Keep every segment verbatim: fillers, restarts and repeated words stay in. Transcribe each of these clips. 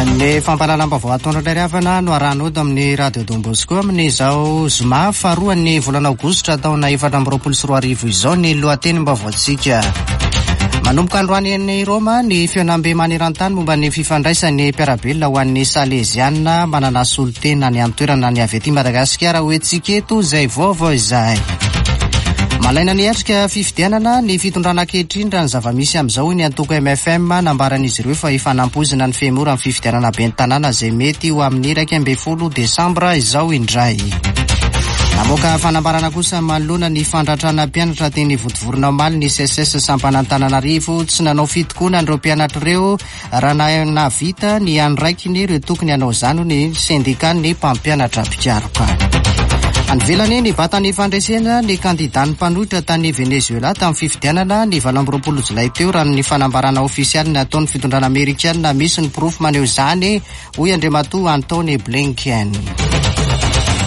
Ny fampahalalam-baovao ataonao indray havana no arahanao eto amin'ny Radio Don Bosco amin'izao zoma faharoan'ny volana aogositra taona efatra amby roapolo sy roa arivo izao ny lohatenim-baovaontsika. Manomboka androany any Roma ny fihaonambe maneran-tany momba ny fifandraisan'ny mpiara-belona ho an'ny Saleziana manana solontena any an-toerana ny avy aty Madagasikara ho entsika eto izay vaovao izay. Malaina ny hiatrika fifidianana ny fitondrana ankehitriny raha ny zava-misy amin'izao hoy ny antoko M F M. Nambaran'izy ireo fa efa nampoizina ny femoran'ny fifidianana ben'ny tanàna izay mety ho amin'ny iraika ambin'ny folo desambra izao indray. Namoaka fanambarana kosa manoloana ny fandratrana mpianatra teny Vontovorona omaly ny S S S sampana Antananarivo. Tsy nanao fitokonana ireo mpianatra ireo raha nahavita ny andraikiny ireo tokony hanao izany hoy ny sendikan'ny mpampianatra mpikaroka. Any ivelany, nibata ny fandresena ny kandidan'ny mpanohitra tany Venezuela tamin'ny fifidianana ny valo amby roapolo jolay teo raha ny fanambarana ofisialy nataon'ny fitondrana amerikana. Misy ny porofo maneho izany hoy Andriamatoa Antony Blinken.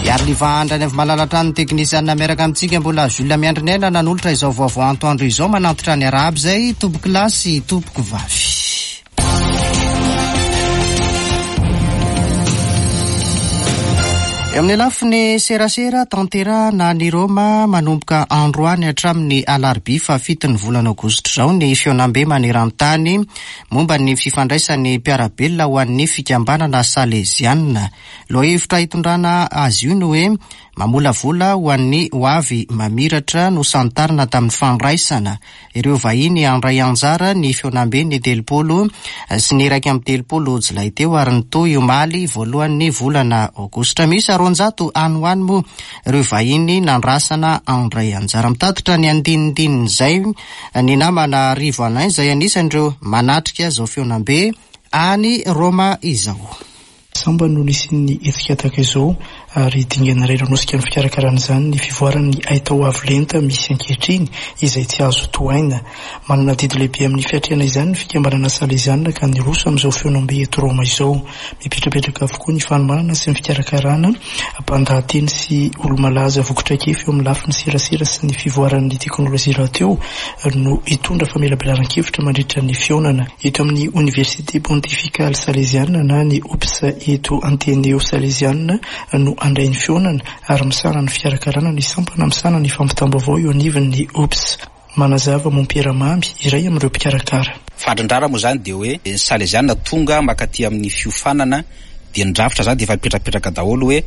Iariliva Andrianaivomalala hatrany ny teknisianina miaraka amintsika mbola Jules Miandry ny aina nanolotra izao vaovao antoandro izao. Manantitra ny arahaba izay tompoko lahy sy tompoko vavy. Eo amin'ny lafiny serasera tanterahana any Roma manomboka androany hatramin'ny alarobia fahafiton'ny volana aogositra izao ny fihaonambe maneran-tany momba ny fifandraisan'ny mpiara-belona ho an'ny fikambanana Saleziana. Lohahevitra hitondrana azy io ny hoe mamolavola ho an'ny hoavy mamiratra no santarina tamin'ny fandraisana ireo vahiny handray anjara ny fihaonambe ny telopolo sy ny iraika amby telopolo jolay teo ary nitohy omaly voalohan'ny volana aogositra. Misy roanjato any ho any moa ireo vahiny nandrasana handray anjara. Mitatitra ny andinindinin'izay ny namana Rivo Alain izay anisan'ireo manatrika izao fihaonambe any Roma izao. Samba no nisian'ny hetsika tahaka izao ary dingana iray nanosika ny fikarakarana izany ny fivoaran'ny haitao avo lenta misy ankehitriny izay tsy azo tohaina. Manana adidy lehibe amin'ny fiatrehana izany ny fikambanana Saleziana ka niroso amin'izao fihaonambe eto Roma izao. Mipetrapetraka avokoa ny fanomanana sy ny fikarakarana mpandahateny sy olo-malaza vokotraikefa eo amin'ny lafiny serasera sy ny fivoaran'ny teknôlôjia rahateo no hitondra famelabelaran-kevitra mandritra ny fihaonana. Eto amin'ny Oniversite Pontificale Saleziana na ny U P S eto Anteneo Saleziana no handray ny fihaonana ary misahana ny fikarakarana ny sampana misahana ny fampitam-baovao eo anivon'ny U P S. Manazava Mompera Mamy, iray amin'ireo mpikarakara. Fandrindrana moa izany dia hoe ny Saleziana tonga mankaty amin'ny fiofanana dia ny drafitra izany dia efa mipetrapetraka daholo hoe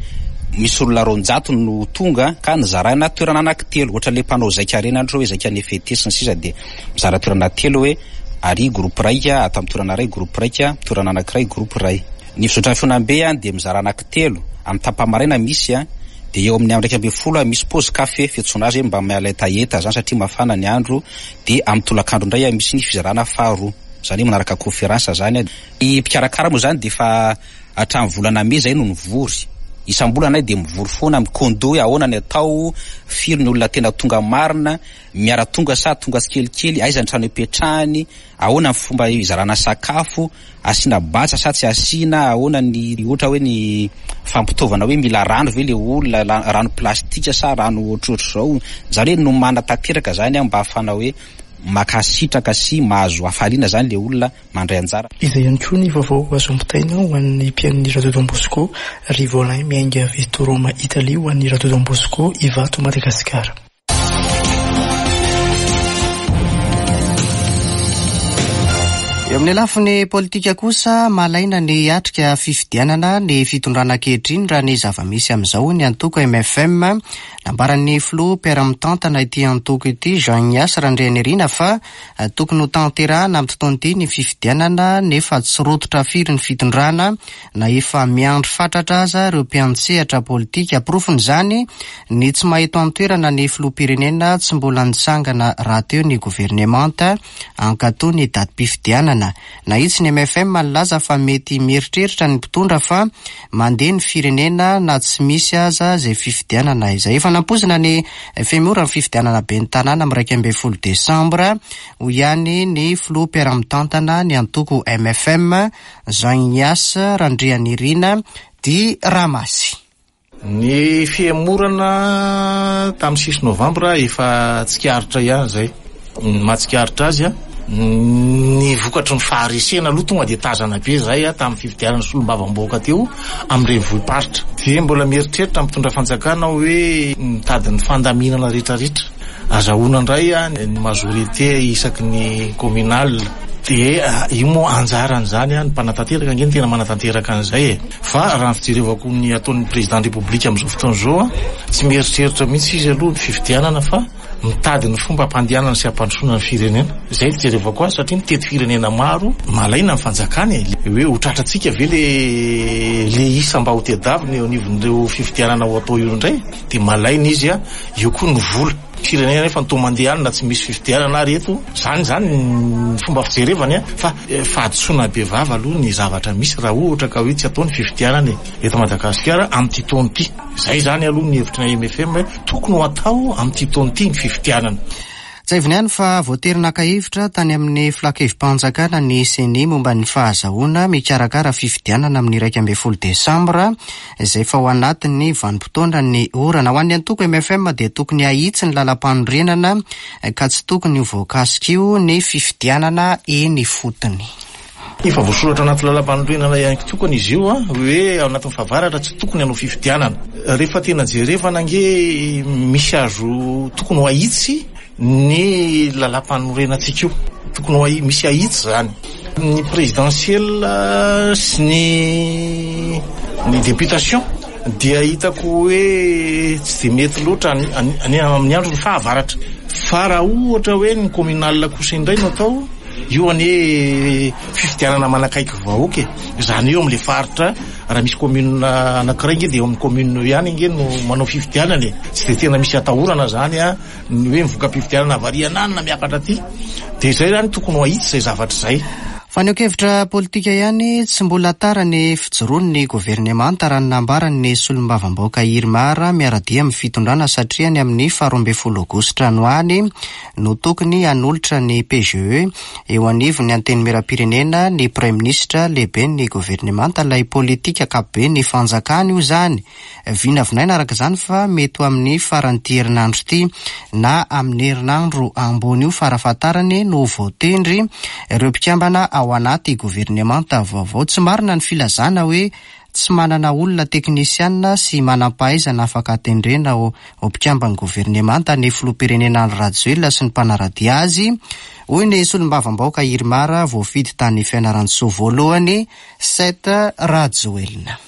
misy olona roanjato no tonga ka nizaraina toerana anankitelo, ohatra ilay mpanao zaika arena andro hoe zaika ny F T sy ny sisa dia mizara toerana telo hoe ary groupe raika ato amin'ny toerana iray, groupe raika, toerana anankiray, groupe iray. Ny fizotran'ny fihaonambe a dia mizara anankitelo, amin'ny tapa-maraina misy a dia eo amin'ny iraika ambin'ny folo a misy pause café fiantsoana azy hoe mba miala hetaheta zany satria mafana ny andro, dia amin'ny tolakandro indray a misy ny fizarana faharoa, zany hoe manaraka conférence zany a. Ny mpikarakara moa zany dia efa hatramin'ny volana mey zay no nivory. Isam-bolana dia mivory foana amin'ny kondo hoe ahoana ny atao, firy ny olona tena tonga marina, miara-tonga sa tonga tsikelikely, aiza ny trano ipetrahany, ahoana ny fomba izarana sakafo, asiana batsa sa tsy asiana, ahoana ny ohatra hoe ny fampitaovana hoe mila rano ve le olona, la-, rano plastika sa rano ohatrohatr'izao. Zany hoe nomana tanteraka zany a mba ahafahana hoe makasitraka sy mahazo hafaliana zany le olona mandray anjara. Izay ihany koa ny vaovao azo ampitaina ho an'ny mpihaino ny Radio Don Bosco, Rivo Alain miainga avy eto Roma, Italie, ho an'ny Radio Don Bosco, Ivato, Madagasikara. Eo amin'ny lafiny politika kosa, malaina ny hiatrika fifidianana ny fitondrana ankehitriny raha ny zava-misy amin'izao ny antoko M F M. Nambaran'ny filoha mpiara-mitantana ity antoko ity, Jean Ignace Randrianirina, fa tokony ho tanterahana amin'ny fotoana ity ny fifidianana nefa tsy rototra firy ny fitondrana na efa miandry fatratra aza ireo mpiantsehatra politika. Porofon'izany ny tsy maha eto an-toerana ny filoham-pirenena, tsy mbola nitsangana rahateo ny governemanta hankatò ny datim-pifidianana. Nahitsy ny M F M nilaza fa mety mieritreritra ny mpitondra fa mandeha ny firenena na tsy misy aza izay fifidianana izay. Efa nampoizina ny femoran'ny fifidianana ben'ny tanàna amin'ny iraika ambin'ny folo desambra, hoy ihany ny filoha mpiara-mitantana ny antoko M F M, Jean Ignace Randrianirina di Ramasy. Ny fihemorana tamin'ny six novambra efa tsikaritra ihany izay. Ny mahatsikaritra azy a, Ny vokatry ny faharesena aloha tonga dia tazana be zay a tamin'ny fifidianana solombavambahoaka teo amin'ny renivohi-paritra. Dia mbola mieritreritra mitondra fanjakana hoe mitady ny fandaminana rehetrarehetra azahoana indray a ny majorité isaky ny communal. Dia io moa anjaran'izany a ny mpanatanteraka ange ny tena manatanteraka an'izay e. Fa raha ny fijerevako ny ataon'ny président république amin'izao fotoana izao a, tsy mieritreritra mihitsy izy aloha ny fifidianana fa mitady ny fomba ampandehanana sy ampandrosoana ny firenena. Izay ny fijerevako azy satria mitety firenena maro malaina ny fanjakana e. Hoe ho tratrantsika ve le le isa mba ho tedavina eo anivon'ireo fifidianana ho atao io indray, dia malaina izy a, eo koa ny vola. Firenena nefa ny toa mandeha any na tsy misy fifidianana ary eto. Zany zany ny fomba fijerevany a, fa fahadisoana be vava aloha ny zavatra misy raha ohatra ka hoe tsy atao ny fifidianana e eto Madagasikara amin'ity taona ity. Zay zany aloha ny hevitry ny M F M hoe tokony ho atao amin'ity taona ity ny fifidianana. Tsiahivina ihany fa voatery naka hevitra tany amin'ny filan-kevi-panjakana ny C E N I momba ny fahazahoana mikarakara fifidianana amin'ny iraika ambin'ny folo desambra izay fa ho anatin'ny vanim-potoana ny orana. Ho an'ny antoko M F M dia tokony hahitsy ny lalam-panorenana ka tsy tokony ho voakasika io ny fifidianana eny ifotony. Efa voasoratra anaty lalam-panorenana ihany koa tokony izy io a, hoe ao anatin'ny fahavaratra tsy tokony hanao fifidianana. Rehefa tena jerevana ange misy azo tokony ho ahitsy ny lalam-panorenantsika io. Tokony ho ahi-, misy ahitsy zany. Ny présidentielle sy ny, ny députation dia hitako hoe tsy dia mety loatra any, any, any amin'ny andro ny fahavaratra. Fa raha ohatra hoe ny communal kosa indray no atao, io anie fifidianana manakaiky vahoaka e. Izany eo amin'ilay faritra, raha misy commune anankiray nge dia eo amin'ny commune eo ihany nge no manao fifidianana e. Tsy dia tena misy atahorana zany a, ny hoe mivoka-pifidianana variana any na miakatra aty. Dia izay zany tokony ho ahitsy izay zavatra izay. Fanehoan-kevitra politika ihany, tsy mbola tara ny fijoroan'ny governemanta raha ny nambaran'ny solombavambahoaka Irmar miara-dia amin'ny fitondrana satria ny amin'ny faharoa ambin'ny folo aogositra no any no tokony hanolotra ny P G E eo anivon'ny antenimieram-pirenena ny praiminisitra lehiben'ny governemanta, ilay politika ankapoben'ny fanjakana io zany. Vinavinaina araka izany fa mety ho amin'ny faran'ity herinandro ity na amin'ny herinandro ambony io farafahatarany no voatendry ireo mpikambana ao anaty governemanta vaovao. Tsy marina ny filazana hoe tsy manana olona teknisiana sy manam-pahaizana afaka tendrena ho, ho mpikamban'ny governemanta ny filoham-pirenena Andry Rajoelina sy ny mpanara-dia azy, hoy ny solombavambahoaka Irmar voafidy tany Fianarantsoa voalohany Seth Rajoelina.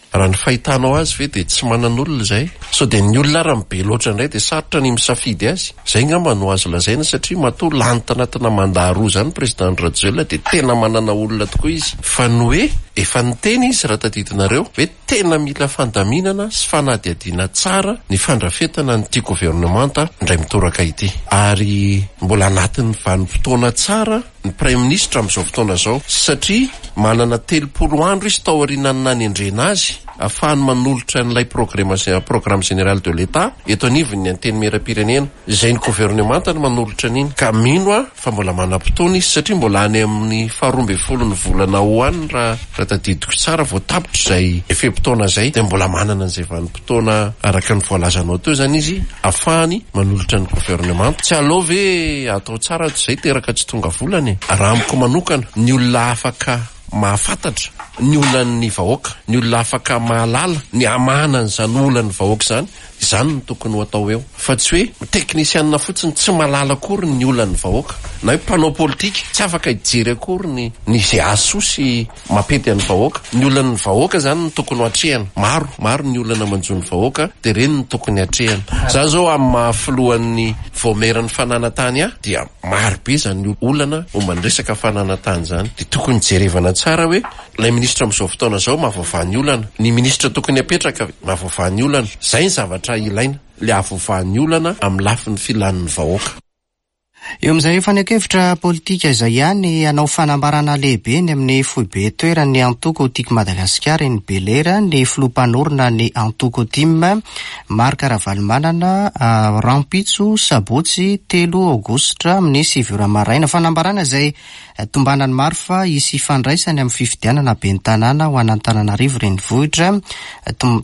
Raha ny fahitanao azy ve dia tsy manan'olona izay? Sao dia ny olona ary be loatra indray dia sarotra ny misafidy azy. Izay angamba no azo lazaina satria matoa lany tanatina mandat roa izany président Rajoelina dia tena manana olona tokoa izy. Fa ny hoe efa niteny izy raha tadidinareo hoe tena mila fandaminana sy fanadihadiana tsara ny fandrafetana an'ity governemanta indray mitoraka ity. Ary mbola anatin'ny vanim-potoana tsara ny praiminisitra amin'izao fotoana izao satria manana telopolo andro izy tao aorian'ny nanendrena azy ahafahany manolotra an'ilay programme, programme général de l'État eto anivon'ny antenimieram-pirenena. Izay ny governemanta no manolotra an'iny. Ka mino aho fa mbola manam-potoana izy satria mbola any amin'ny faharoa ambin'ny folo ny volana ho any raha raha tadidiko tsara vao tapitra izay fe-potoana izay dia mbola manana an'izay vanim-potoana araka ny voalazanao teo zany izy ahafahany manolotra ny governemanta. Tsy aleo ve atao tsara izay teraka tsy tonga volana e? Raha amiko manokana ny olona afaka mahafantatra ny olan'ny vahoaka, ny olona afaka mahalala ny hamahana an'izany olan'ny vahoaka izany, izany no tokony ho atao eo. Fa tsy hoe teknisianina fotsiny tsy mahalala akory ny olan'ny vahoaka, na hoe mpanao politika tsy afaka hijery akory ny, ny izay ahasoa sy mampety an'ny vahoaka. Ny olan'ny vahoaka zany no tokony ho atrehana. Maro, maro ny olana manjo ny vahoaka dia ireny no tokony atrehana. Za zao amin'ny maha filohan'ny vaomieran'ny fananantany ahy dia maro be zany olana momba ny resaka fananantany zany. Dia tokony jerevana tsara hoe ilay ministra amin'izao fotoana izao mahavoavaha ny olana, ny ministra tokony apetraka mahavoavaha ny olana. Izay ny zavatra ilaina, ilay hahavoavaha ny olana amin'ny lafiny filan'ny vahoaka. Eo amin'izay fanehoan-kevitra politika izay ihany, hanao fanambarana lehibe ny amin'ny foibe toeran'ny antoko Tiako Madagasikara eny Belera ny filoha mpanorina ny antoko T I M Marc Ravalomanana rahampitso sabotsy telo aogositra amin'ny sivy ora maraina. Fanambarana izay tombanany maro fa hisy ifandraisany amin'ny fifidianana ben'ny tanàna ho an'Antananarivo renivohitra.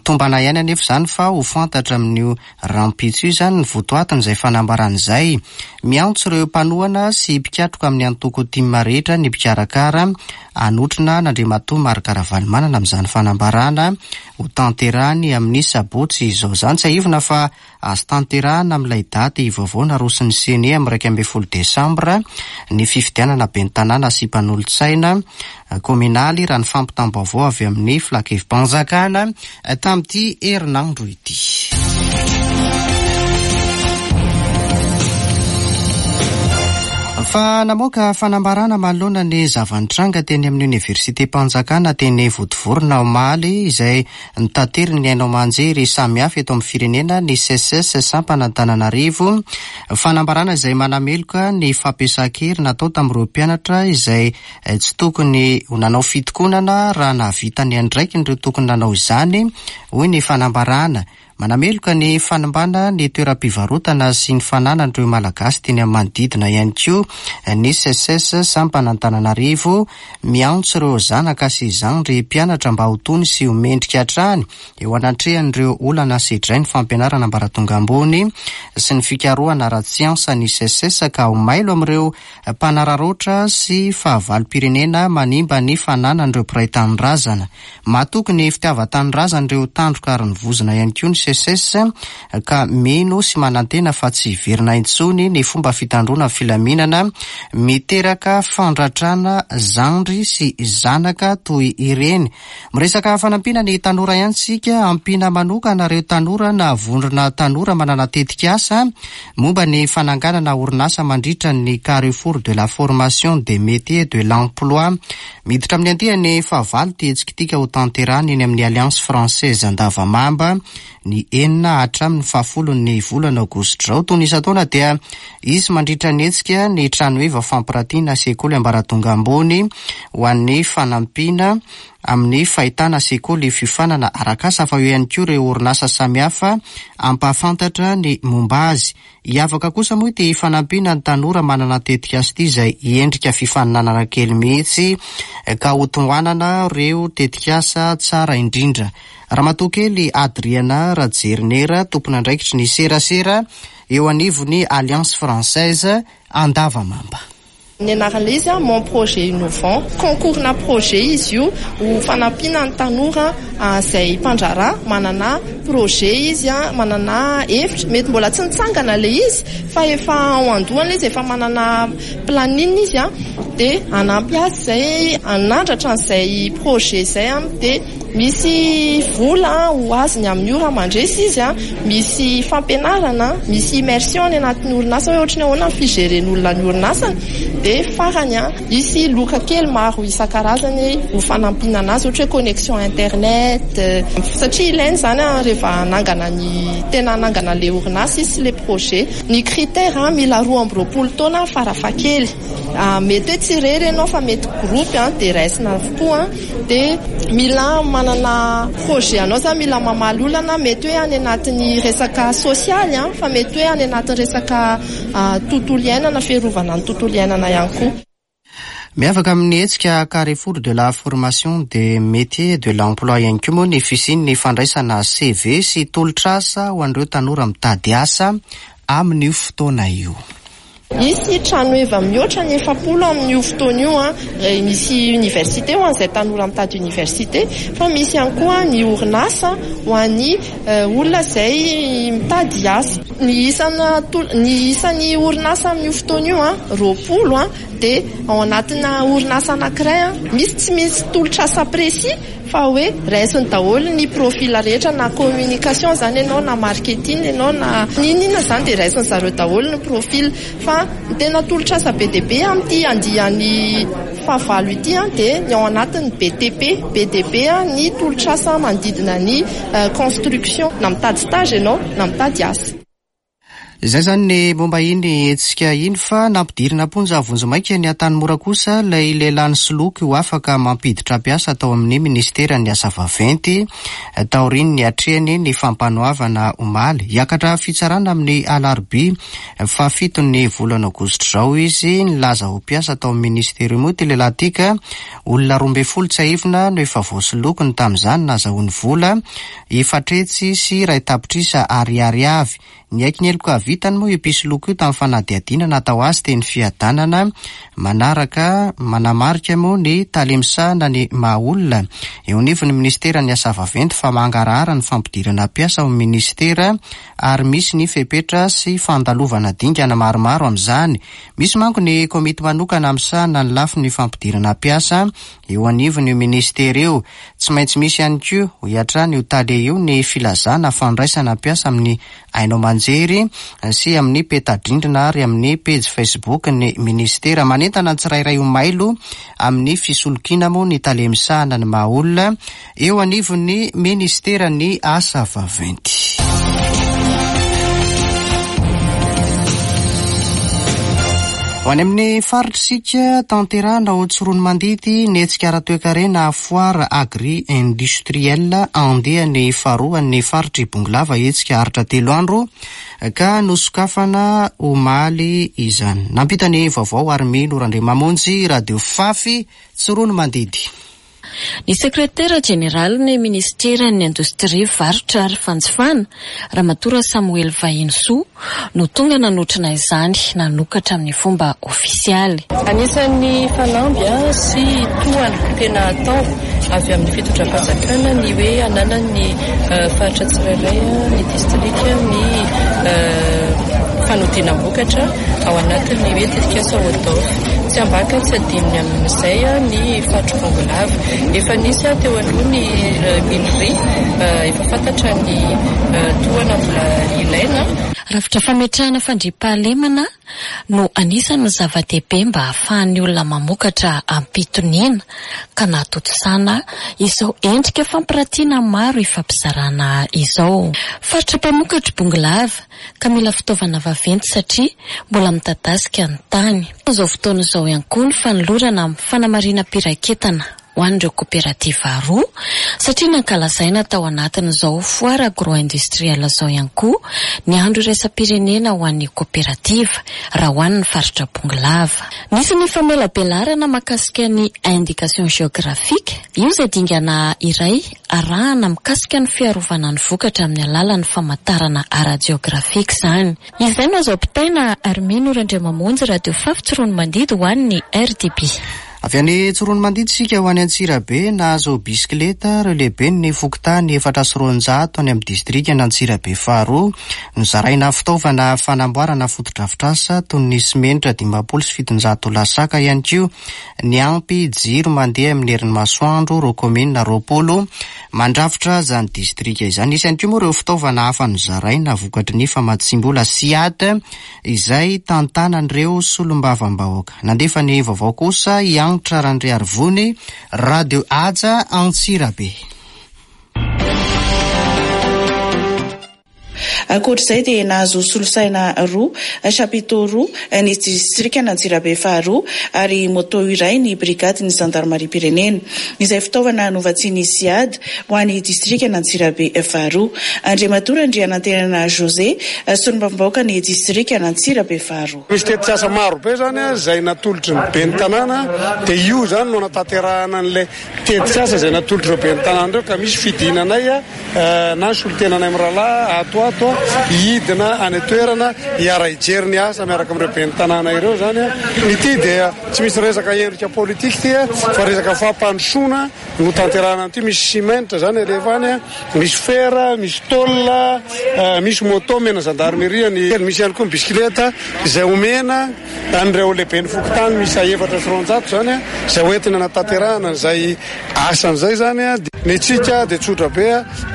Tombana ihany anefa izany fa ho fantatra amin'io rahampitso io izany ny votoatiny izay fanambarana izay. Miantso ireo mpanohana sy mpikatroka amin'ny antoko TIM rehetra ny mpikarakara hanotrona an'Andriamatoa Marc Ravalomanana amin'izany fanambarana ho tanterahany amin'ny sabotsy izao izany. Tsiahivina fa azo tanterahana amin'ilay daty vaovao naroson'ny CENI amin'ny iraika ambin'ny folo desambra ny fifidianana ben'ny tanàna sy mpanolotsaina kominaly, raha ny fampitam-baovao avy amin'ny filankevi-panjakana tamin'ity herinandro ity. Fa namoaka fanambarana manoloana ny zava-nitranga teny amin'ny oniversitem-panjakana teny Vontovorona omaly, izay nitateriny haino aman-jery samihafa eto amin'ny firenena ny S S sampana Antananarivo. Fanambarana izay manameloka ny fampiasan-kery natao tamin'ireo mpianatra izay tsy tokony ho nanao fitokonana raha nahavita ny andraikiny ireo tokony nanao izany, hoy ny fanambarana. Manameloka ny fanimbana ny toeram-pivarotana sy ny fananan'ireo Malagasy teny amin'ny manodidina ihany koa ny S S sampana Antananarivo. Miantso ireo zanaka sy zandry mpianatra mba ho tony sy ho mendrika hatrany eo anatrehan'ireo olana sedrain'ny fampianarana ambaratonga ambony sy ny fikarohana ara-tsiansa ny S S, ka ho mailo amin'ireo mpanararaotra sy fahavalom-pirenena manimba ny fananan'ireo mpiray tanindrazana. Matoky ny fitiavan-tanindrazana ireo tandroka ary ny vozona ihany koa ny S S, ka mino sy manantena fa tsy hiverina intsony ny fomba fitandroana filaminana miteraka fandratrana zandry sy zanaka toy ireny. Miresaka fanampiana ny tanora ihany tsika, ampiana manokana ireo tanora na vondrona tanora manana tetikasa momba ny fananganana orinasa mandritra ny Carrefour de la formation des métiers de l'emploi. Miditra amin'ny andiany fahavalo ty hetsika ity ka ho tanterahana eny amin'ny Alliance Française Andavamamba ny enina hatramin'ny fahafolon'ny volana aogositra izao. Toy ny isan-taona dia hisy mandritra ny hetsika ny trano heva fampiratiana sekoly ambaratonga ambony ho an'ny fanampiana amin'ny fahitana sekoly fiofanana arak'asa, fa eo ihany koa ireo orinasa samihafa ampahafantatra ny momba azy. Hiavaka kosa moa ity fanampiana ny tanora manana tetikasa ity, izay endrika fifaninanana kely mihitsy ka ho tohanana ireo tetikasa tsara indrindra. Ramatoa kely Adriana Rajerinera, tompon'andraikitry ny serasera eo anivon'ny Alliance Française Andavamamba. Ny anaran'ilay izy a Mon projet innovant, concours na projet izy io ho fanampiana ny tanora izay mpandraharaha manana projet izy a manana hevitra, mety mbola tsy nitsangana le izy fa efa ao an-dohany izy, efa manana planning izy a dia hanampy azy zay hanandratra an'izay projet zay a dia misy vola ho azony amin'io raha mandresy izy a misy fampianarana, misy immersion any anatin'ny orinasa hoe ohatry ny ahoana ny figéren'olona ny orinasany, dia farany a hisy loka kely maro isan-karazany ho fanampiana anazy, ohatra hoe connexion internet, satria ilainy zany a rehefa hanangana ny tena hanangana le orinasa izy sy le projet. Ny critère, mila roa amby roapolo taona farafahakely, mety hoe tsy irery ianao fa mety groupe a dia raisina avokoa, dia mila manana projet anao zany, mila mamaly olana, mety hoe any anatin'ny resaka sosialy a fa mety hoe any anatin'ny resaka tontolo iainana, fiarovana ny tontolo iainana ihany koa. Miavaka amin'ny hetsika Carrefour de la formation des métiers de l'emploi ihany koa moa ny fisian'ny fandraisana C V sy tolotr'asa ho an'ireo tanora mitady asa amin'io fotoana io. Misy trano heva mihoatra ny efapolo amin'io fotoana io a misy université ho an'izay tanora mitady université, fa misy ihany koa ny orinasa ho an'ny olona izay mitady asa. Ny isana ny isan'ny orinasa amin'io fotoana io a roapolo a dia ao anatina orinasa anankiray a misy tsy misy tolotr'asa précis fa hoe raisiny daholo ny profil rehetra, na communication zany ianao, na marketing ianao, na ninona zany, dia raisiny zareo daholo ny profil. Fa ny tena tolotr'asa be dia be amin'ity andiany fahavalo ity a dia ny ao anatin'ny B T P be dia be a ny tolotr'asa manodidina ny construction, na mitady stage ianao na mitady asa. Izay zany ny momba iny hetsika iny. Fa nampidirina am-ponja vonjimaika ny Antanimora kosa ilay lehilahy nisoloky ho afaka mampiditra mpiasa tao amin'ny ministeran'ny asa vaventy, taorian'ny niatrehany ny fampanoavana omaly. Hiakatra fitsarana amin'ny alarobia fahafito ny volana aogositra izao izy. Nilaza ho mpiasa tao amin'ny ministera moa ty lehilahy ty, ka olona roa ambin'ny folo tsiahivina no efa voasolokiny tamin'izany, nahazahoany vola efatra hetsy sy iray tapitrisa ariary avy. Niaiky ny heloka vitany moa io mpisoloky io tamin'ny fanadihadiana natao azy teny Fiadanana. Manaraka manamarika moa ny tale misahana ny maha olona eo anivon'ny ministeran'ny asa vaventy fa mangarahara ny fampidirana mpiasa ao amin'ny ministera ary misy ny fepetra sy fandalovana dingana maromaro amin'izany. Misy manko ny komity manokana misahana ny lafiny fampidirana mpiasa eo anivon'io ministera io. Tsy maintsy misy ihany koa, hoy hatrany io tale io, ny filazana fandraisana mpiasa amin'ny haino aman-jery sy amin'ny peta-drindrina ary amin'ny pejy Facebook ny ministera. Manentana ny tsirairay ho mailo amin'ny fisolokiana moa ny tale misahana ny maha olona eo anivon'ny ministeran'ny asa vaventy. Ho any amin'ny faritra isika, tanterahana ao Tsiroanomandidy ny hetsika ara-toekarena foire agri industriel andiany faharoan'ny faritry Bongolava, hetsika aritra telo andro ka nosokafana omaly izany. Nampita ny vaovao ary Mino Randriamamonjy, Radio Fafy, Tsiroanomandidy. Ny sekretera jeneralin'ny ministeran'ny indostria, varotra ary fanjifana, Ramatoa Samuel Vahinisoa, no tonga nanotrona izany nanokatra amin'ny fomba ofisialy. Anisan'ny fanamby sy tohana tena atao avy amin'ny fitondram-panjakana ny hoe ananan'ny faritra tsirairay, ny distrika, ny fanodinam-bokatra ao anatin'ny hoe tetikasa ODOF. Tsy ambaka tsy adinony amin'izay ny faritry Bongolava. Efa nisy teo aloha ny huilerie, efa fantatra ny tohana mbola ilaina. Rafitra fametrahana fandriampahalemana no anisan'ny zava-dehibe mba hahafahan'ny olona mamokatra am-pitoniana ka nahatontosana izao endrika fampiratiana maro ifampizarana izao. Faritra mpamokatra Bongolava ka mila fitaovana vaventy satria mbola mitadasika ny tany. Izao fotoana izao ihany koa ny fanolorana amin'ny fanamarinam-piraketana ho an'ireo kooperativa roa satria nankalazaina tao anatin'izao foire agro-industriel izao ihany koa ny andro iraisam-pirenena ho an'ny kooperativa raha ho an'ny faritra Bongolava. Nisy ny famelabelarana mahakasika ny indication géographique, io izay dingana iray arahana mikasika ny fiarovana ny vokatra amin'ny alalan'ny famantarana ara-jeografika izany. Izay no azo ampitaina ary Mino Randriamamonjy, Radio Fafy, Tsiroanomandidy ho an'ny R D B. Avy any Tsiroanomandidy isika ho any Antsirabe, nahazo bisikileta ireo lehiben'ny fokontany efatra sy roanjato any amin'ny distrikan'Antsirabe faharoa. Nozaraina fitaovana fanamboarana fotodrafitrasa toy ny simenitra dimampolo sy fitonjato lasaka ihany koa, niampy jiro mandeha amin'ny herin'ny masoandro ireo kaominina roapolo mandrafitra izany distrika izany. Nisy ihany koa moa ireo fitaovana hafa nozaraina vokatry ny famatsiam-bola SIAD izay tantanan'ireo solombavambahoaka. Nandefa ny vaovao kosa i Anitra Randriarivony, Radio Haja Antsirabe. Ankoatr'izay dia nahazo solosaina roa, chapiteau roa ny distrikan'Antsirabe faharoa ary moto iray ny brigadin'ny zandarmariam-pirenena, izay fitaovana novatsian'ny SIAD ho an'ny distrikan'Antsirabe faharoa. Andriamatoa Randrianantenana José, solombavambahoaka ny distrikan'Antsirabe faharoa. Misy tetikasa maro be zany izay natolotry ny ben'ny tanàna, dia io zany no nanatanterahana an'ilay tetikasa izay natolotry ireo ben'ny tanàna ireo, ka misy fidinanay na ny solontenanay mirahalahy ato ato hidina any an-toerana hiara-hijery ny asa miaraka amin'ireo ben'ny tanàna ireo zany. Ity dia tsy misy resaka endrika politika ity fa resaka fampandrosoana no tanterahana an'ity. Misy simenitra zany alefa any, misy fera, misy tôle, misy moto omena zandarmeria, misy ihany koa ny bisikileta izay omena an'ireo lehiben'ny fokontany miisa efatra sy roanjato zany izay hoentina anatanterahana izay asan'izay zany. Ny antsika dia tsotra be,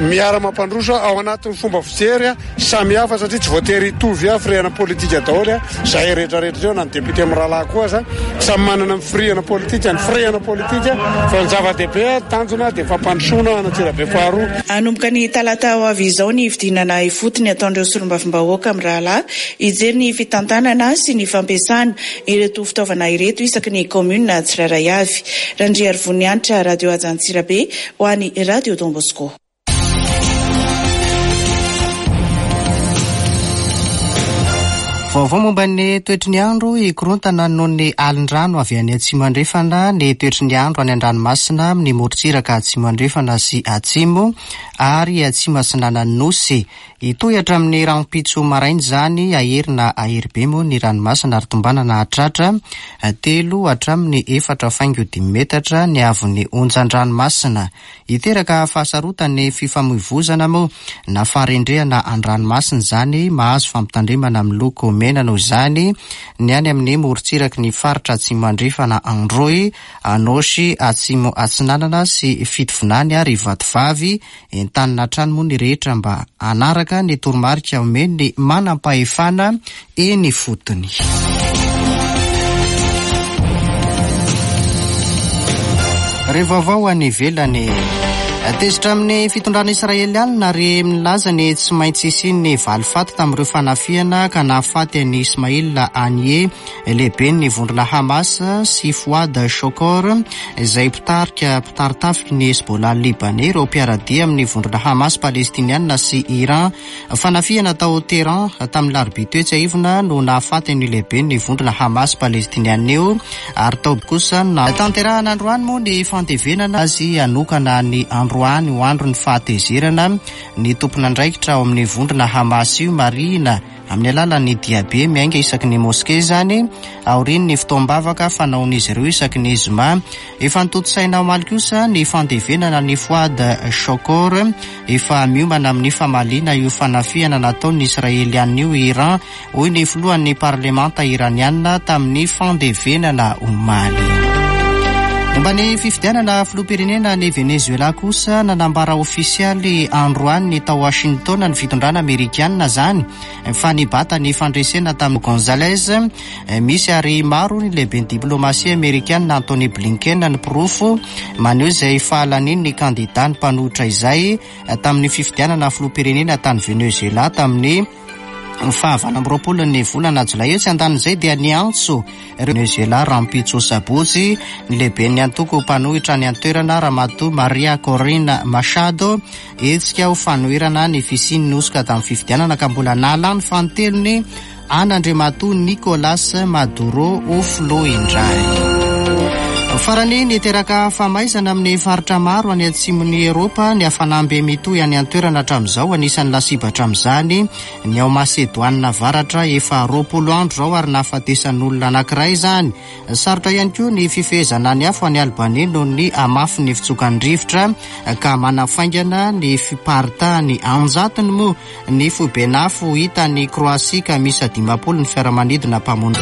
miara-mampandroso ao anatin'ny fomba fijery samihafa satria tsy voatery hitovy firehana politika daholo zahay rehetrarehetra ireo, na ny député mirahalahy koa aza samy manana ny firehana politika, ny firehana politika, fa ny zava-dehibe tanjona dia fampandrosoana an'Antsirabe faharoa. Hanomboka ny talata ho avy izao ny fidinana ifotony ataon'ireo solombavambahoaka mirahalahy hijery ny fitantanana sy ny fampiasana ireto fitaovana ireto isaky ny commune tsirairay avy. Randriarivony Anitra, Radio Haja Antsirabe ho an'ny Radio Don Bosco. Vaovao momba ny toetry ny andro: hikorontana noho ny alin-drano avy any atsimo andrefana ny toetry ny andro any an-dranomasina amin'ny morontsiraka atsimo andrefana sy atsimo ary atsimo atsinanan'ny nosy. Hitohy hatramin'ny rahampitso maraina izany, hahery na hahery be moa ny ranomasina ary tombanana hahatratra telo hatramin'ny efatra faingo dimy metatra ny haavon'ny onjan-dranomasina. Hiteraka fahasarotan'ny fifamoivozana moa na faharendrehana an-dranomasina izany. Mahazo fampitandremana miloko mena noho izany ny any amin'ny morontsiraky ny faritra atsimo andrefana, Androy, Anôsy, Atsimo Atsinanana sy Fitovinany ary Vatovavy. Entanina hatrany moa ny rehetra mba hanaraka ny toromarika omen'ny manam-pahefana eny ifotony. Re vaovao any ivelany. Tezitra amin'ny fitondrana israelianina ary milaza ny tsy maintsy hisian'ny valifaty tamin'ireo fanafihana ka nahafaty an'i Ismail Haniyeh, lehiben'ny vondrona Hamas, sy Fouad Shokor, izay mpitarika mpitari-tafiky ny Hezbollah libanais, ireo mpiara-dia amin'ny vondrona Hamas palestiniana sy Iran. Fanafihana tao Tehran tamin'ny alarobia teo tsiahivina no nahafaty ny lehiben'ny vondrona Hamas palestiniana io, ary tao kosa natanterahana androany moa ny fandevenana azy hanokana ny androany ho andro ny fahatezerana ny tompon'andraikitra ao amin'ny vondrona Hamas io. Marihina amin'ny alalan'ny diabe miainga isaky ny moske izany aorian'ny fotoam-bavaka fanaon'izy ireo isaky ny zoma. Efa notontosaina omaly kosa ny fandevenana ny Fouad Shokor. Efa miomana amin'ny famaliana io fanafihana nataon'ny israelianina io Iran, hoy ny filohan'ny parlemanta iraniana tamin'ny fandevenana omaly. Momba ny fifidianana filoham-pirenena any Venezuela kosa, nanambara ofisialy androany ny tao Washington ny fitondrana amerikanina zany fa nibata ny fandresena tamin'ny Gonzalez. Misy ary maro ny lehiben'ny diplomasia amerikanina Antony Blinken ny porofo maneho izay fahalaniny ny kandida ny mpanohitra izay tamin'ny fifidianana filoham-pirenena tany Venezuela tamin'ny fahavalo amby roapolo ny volana jolay io. Tsy andanin'izay dia niantso Venezuela rahampitso sabotsy ny lehiben'ny antoko mpanohitra any an-toerana Ramatoa Maria Corina Machado, hetsika ho fanoherana ny fisian'ny hosoka tamin'ny fifidianana ka mbola nahalany fanintelony an'Andriamatoa Nicolas Maduro ho filoha indray. Farany, niteraka famaizana amin'ny faritra maro any atsimon'ny Eropa ny hafanam-be mitohy any an-toerana hatramin'izao. Anisan'ny lasibatra amin'izany ny ao Masedoanina avaratra, efa roapolo andro izao ary nahafatesan'olona anankiray izany. Sarotra ihany koa ny fifehezana ny afo any Albania noho ny hamafin'ny fitsokan'ny rivotra ka manafaingana ny fiparitahany. Anjatony moa ny foiben'afo hita any Kroasia ka miisa dimampolo ny fiaramanidina mpamono.